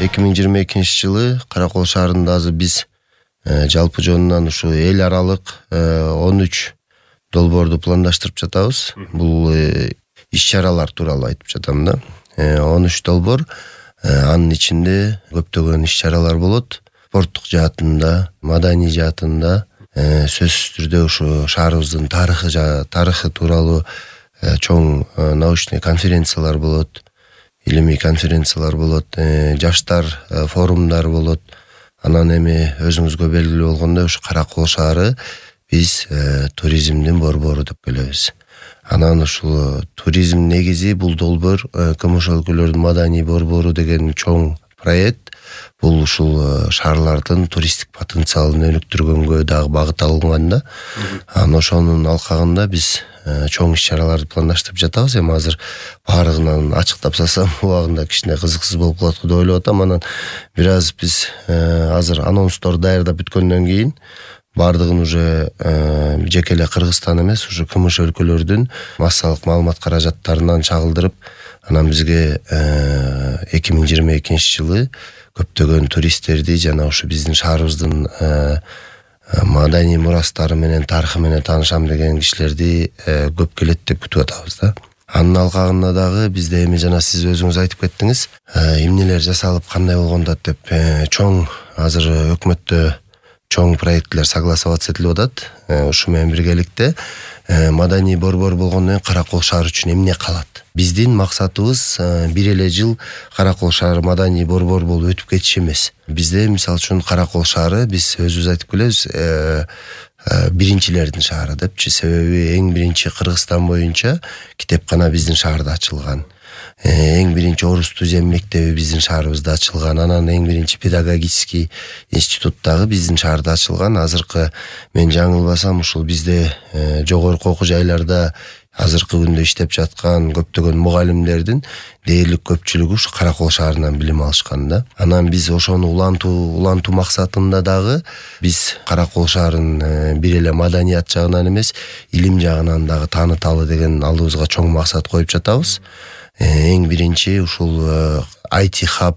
2022 Каракол шаарында азыр биз жалпы жонунан ушу эл аралык 13 долбоорду пландаштырып жатабыз. Бул иш-чаралар тууралуу айтып жатам да. 13 долбоор, анын ичинде көптөгөн иш-чаралар болот. Спорттук жаатында, маданий жаатында, сөзсүз түрдө ушу шаарыбыздын тарыхы тууралуу чоң научный конференциялар болот, илимий конференциялар болот, жаштар форумдар болот. Анан эми өзүңүзгө белгилүү болгондой ушу Каракол шаары биз туризмдин борбору деп келебиз. Анан ушул туризм негизи бул долбоор КМШ өлкөлөрдүн маданий борбору деген чоң проект. Бул ушул шаарлардын туристтик потенциалын өнүктүргөнгө дагы багыт алынган да. Анан ошонун алкагында биз чоң иш-чараларды пландаштырып жатабыз. Эми азыр баарыгынан ачыктап салсам убагында кичине кызыксыз болуп калат деп ойлоп атам. Анан бир аз биз азыр анонстор даярдап бүткөндөн кийин бардыгын уже жеке эле Кыргызстан эмес, ушу КМШ өлкөлөрдүн массалык маалымат каражаттарынан чагылдырып, анан бизге 2022 жылы көптөгөн туристтерди жана ушу биздин шаарыбыздын маданий мурастары менен, тарыхы менен таанышам деген кишилерди көп келет деп күтүп атабыз да. Анын алкагында дагы бизде эми жана сиз өзүңүз айтып кеттиңиз, эмнелер жасалып кандай болгондот деп чоң азыр өкмөттө чоң проекттер согласоваться этилип атат. Ушу менен биргеликте маданий борбор болгондон кийин Каракол шаары үчүн эмне калат? Биздин максатыбыз бир эле жыл Каракол шаары маданий борбор болуп өтүп кетиш эмес. Бизде мисалы үчүн Каракол шаары биз өзүбүз айтып келебиз, биринчилердин шаары депчи. Себеби эң биринчи Кыргызстан боюнча китепкана биздин шаарда ачылган. Эң биринчи орус түзем мектеби биздин шаарыбызда ачылган. Анан эң биринчи педагогический институт дагы биздин шаарда ачылган. Азыркы мен жаңылбасам ушул бизде жогорку окуу жайларда азыркы күндө иштеп жаткан көптөгөн мугалимдердин дээрлик көпчүлүгү ушу Каракол шаарынан билим алышкан да. Анан биз ошону улантуу максатында дагы биз Каракол шаарын бир эле маданият жагынан эмес, илим жагынан дагы тааныталы деген алдыбызга чоң максат коюп жатабыз. Эң биринчи ушул IT хаб,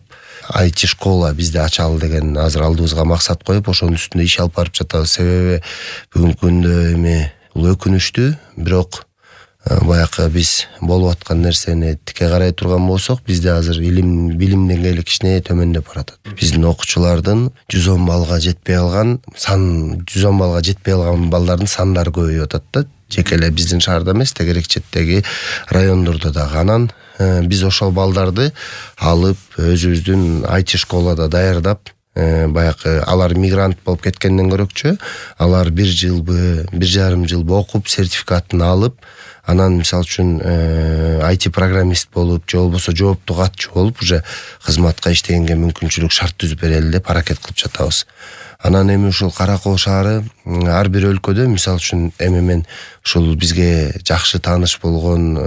IT школа бизде ачалы деген азыр алдыбызга максат коюп, ошонун үстүндө иш алып барып жатабыз. Себеби бүгүнкү күндө эми бул өкүнүчтүү, бирок баягы биз болуп аткан нерсени тике карай турган болсок, бизде азыр билим деңгээли кичине төмөндөп баратат. Биздин окуучулардын 110 балга жетпей алган балдардын сандары көбөйүп атат да. Жеке эле биздин шаарда эмес, тегерек четтеги райондордо дагы. Анан биз ошол балдарды алып өзүбүздүн IT школада даярдап, баягы алар мигрант болуп кеткенден көрөкчү, алар 1 жылбы, 1,5 жылбы окуп, сертификатын алып, анан мисалы үчүн IT программист болуп, же болбосо жооптуу катчу болуп, уже кызматка иштегенге мүмкүнчүлүк шарт түзүп берели деп аракет кылып жатабыз. Анан эми ушул Каракол шаары ар бир өлкөдө, мисалы үчүн эми мен ушул бизге жакшы тааныш болгон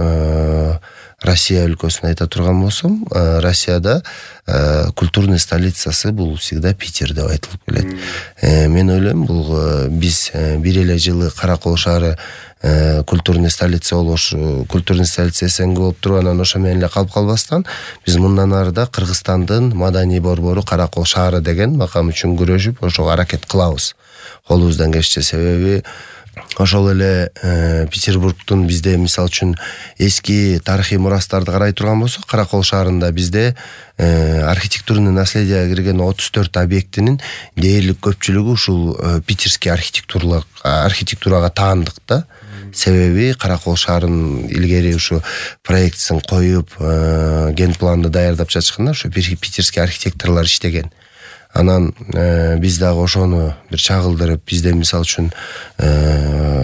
Россия өлкөсүн айта турган болсом, Россияда культурный столицасы бул всегда Питер деп айтылып келет. Мен ойлойм, бул биз бир эле жылы Каракол шаары культурный столица эсенге болуп туруп, анан ошо менен эле калып калбастан, биз мындан арыда Кыргызстандын маданий борбору Каракол шаары деген макам үчүн күрөшүп, ошого аракет кылабыз. Колубуздан келишче. Себеби ошол эле Петербургдун бизде мисалы үчүн эски тарыхый мурастарды карай турган болсок, Каракол шаарында бизде архитектурный наследияга кирген 34 объектинин дээрлик көпчүлүгү ушул питерский архитектурага таандык да. Себеби Каракол шаарын илгери ушу проектсин коюп, ген планды даярдап жатышканда ушу питерский архитекторлор иштеген. Анан биз дагы ошону бир чагылдырып, бизде мисалы үчүн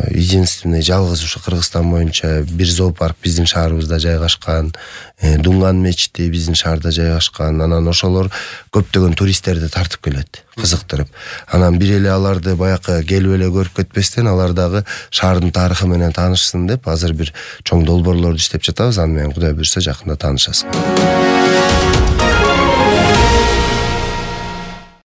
единственный жалгыз ушу Кыргызстан боюнча бир зоопарк биздин шаарыбызда жайгашкан, Дунган мечити биздин шаарда жайгашкан. Анан ошолор көптөгөн туристтерди тартып келет, кызыктырып. Анан бир эле аларды баягы келип эле көрүп кетпестен, алар дагы шаардын тарыхы менен таанышсын деп азыр бир чоң долбоорлорду иштеп жатабыз. Аны менен Кудай буйрса жакында таанышасың.